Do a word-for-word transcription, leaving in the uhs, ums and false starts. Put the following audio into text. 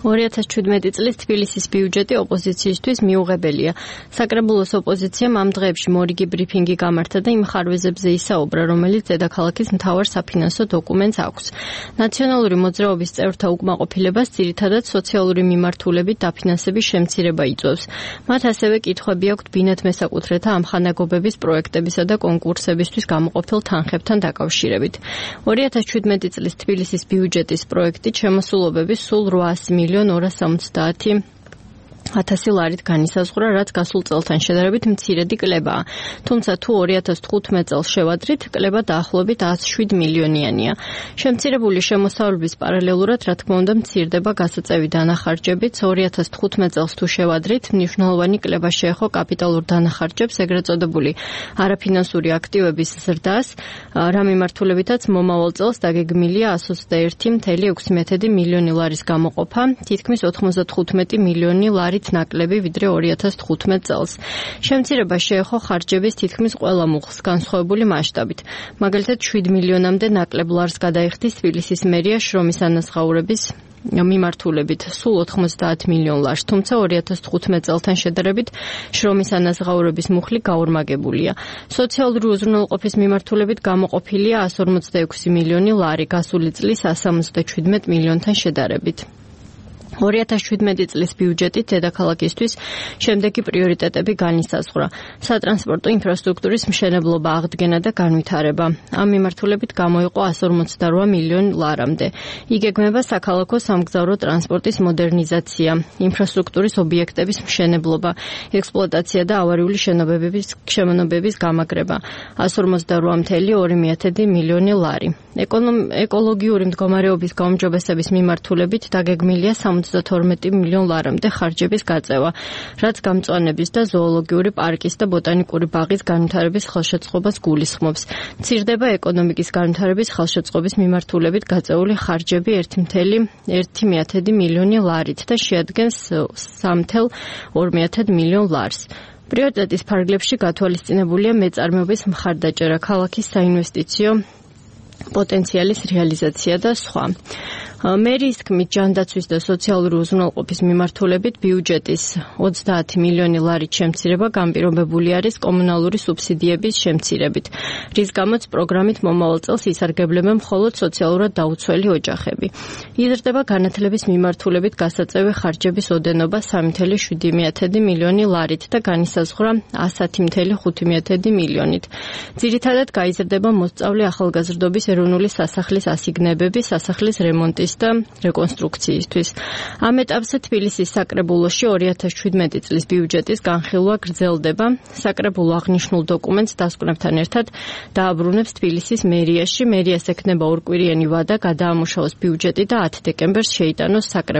ორი ათას შვიდმეტი წლის თბილისის ბიუჯეტი ოპოზიციისთვის მიუღებელია. საკრებულოს ოპოზიციამ ამ დღეებში მორიგი ბრიფინგი გამართა და იმ ხარვეზებზე ისაუბრა, რომელიც დედაქალაქის მთავარ საფინანსო დოკუმენტს აქვს. ნაციონალური მოძრაობის წევრთა უკმაყოფილებას ძირითადად სოციალური მიმართულებით დაფინანსების შემცირება იწვევს. მათ ასევე კითხვები აქვთ ბინათ მესაკუთრეთა ამხანაგობების პროექტებისა და კონკურსებისთვის გამოყოფილ თანხებთან დაკავშირებით. ორი ათას შვიდმეტი წლის თბილისის ბიუჯეტის პროექტით შემოსულობები სულ რვაასი მილიონ ორას სამოცდაათი ათასი ლარით განისაზღვრა, რაც გასულ წელთან შედარებით მცირედი კლებაა. თუმცა თუ ორი ათას თხუთმეტ წელს შევადრით, კლება დაახლოებით ათს შვიდ მილიონიანია. შემცირებული შემოსავლების პარალელურად, რა თქმა უნდა, მცირდება გასაწევი დანახარჯებიც. ორი ათას თხუთმეტ წელს თუ შევადრით, მნიშვნელოვანი კლება შეეხო კაპიტალურ დანახარჯებს, ეგრეთ წოდებული არაფინანსური აქტივების ზრდას, რა მიმართულებითაც მომავალ წელს დაგეგმილია ას ოცდაერთი მცდარი ექვსი მილიონი ლარის გამოყოფა, თითქმის ოთხმოცდათხუთმეტი მილიონი ლარი ნაკლები ვიდრე ორი ათას თხუთმეტ წელს. შემცირება შეეხო ხარჯების თითქმის ყველა მუხლს განსხვავებული მასშტაბით. მაგალითად, შვიდ მილიონამდე ნაკლებ ლარს გადაიხდის თბილისის მერია შრომის ანაზღაურების მიმართულებით სულ ოთხმოცდაათ მილიონ ლარს, თუმცა ორი ათას თხუთმეტ წელთან შედარებით შრომის ანაზღაურების მუხლი გაორმაგებულია. სოციალური უზრუნველყოფის მიმართულებით გამოყოფილია ას ორმოცდაექვსი მილიონი ლარი, გასული წლის ას სამოცდაშვიდმეტ მილიონთან შედარებით. ორი ათას შვიდმეტი წლის ბიუჯეტით დედაქალაქისთვის შემდეგი პრიორიტეტები განისაზღვრა. სატრანსპორტო ინფრასტრუქტურის მშენებლობა, აღდგენა და განვითარება. ამ მიმართულებით გამოიყო ას ორმოცდარვა მილიონი ლარამდე. იგეგმება საქალაქო სამგზავრო ტრანსპორტის მოდერნიზაცია, ინფრასტრუქტურის ობიექტების მშენებლობა, ექსპლუატაცია და ავარიული შენობების შემონობების გამაგრება. ას ორმოცდარვა მცდარი ორი მილიონი ლარი. ეკოლოგიური მდგომარეობის გაუმჯობესების მიმართულებით დაგეგმილია სამოცდათორმეტი მილიონ ლარამდე ხარჯების გაწევა, რაც გამწვანების და ზოოლოგიური პარკის და ბოტანიკური ბაღის განვითარების ხელშეწყობას გულისხმობს. მცირდება ეკონომიკის განვითარების ხელშეწყობის მიმართულებით გაწეული ხარჯები ერთი მცდარი ერთი მილიონი ლარით და შეადგენს სამი მცდარი ორი მილიონ ლარს. პრიორიტეტის ფარგლებში გათვალისწინებულია მეწარმეობის მხარდაჭერა, ქალაქის საინვესტიციო პოტენციალის რეალიზაცია და სხვა. მერიის თქმით, ჯანდაცვის და სოციალური უზრუნველყოფის მიმართულებით ბიუჯეტის ოცდაათი მილიონი ლარით შემცირება განპირობებული არის კომუნალური სუბსიდიების შემცირებით, რის გამოც პროგრამით მომავალ წელს ისარგებლებენ მხოლოდ სოციალურად დაუცველი ოჯახები. იზრდება განათლების მიმართულებით გასაწევი ხარჯების ოდენობა სამი მცდარი შვიდი მილიონი ლარით და განისაზღვრა ათი მცდარი ხუთი მილიონით. ძირითადად გაიზრდება მოსწავლე ახალგაზრდობის ეროვნული სასახლის ასიგნებები სასახლის რემონტის და რეკონსტრუქციისთვის. ამ ეტაპზე თბილისის საკრებულოში ორი ათას შვიდმეტი წლის ბიუჯეტის განხილვა გრძელდება. საკრებულო აღნიშნულ დოკუმენტს დასკვნებთან ერთად დააბრუნებს თბილისის მერიაში. მერიას ექნება ორკვირიანი ვადა გადაამუშავოს ბიუჯეტი და ათი დეკემბერს შეიტანოს საკრებულოს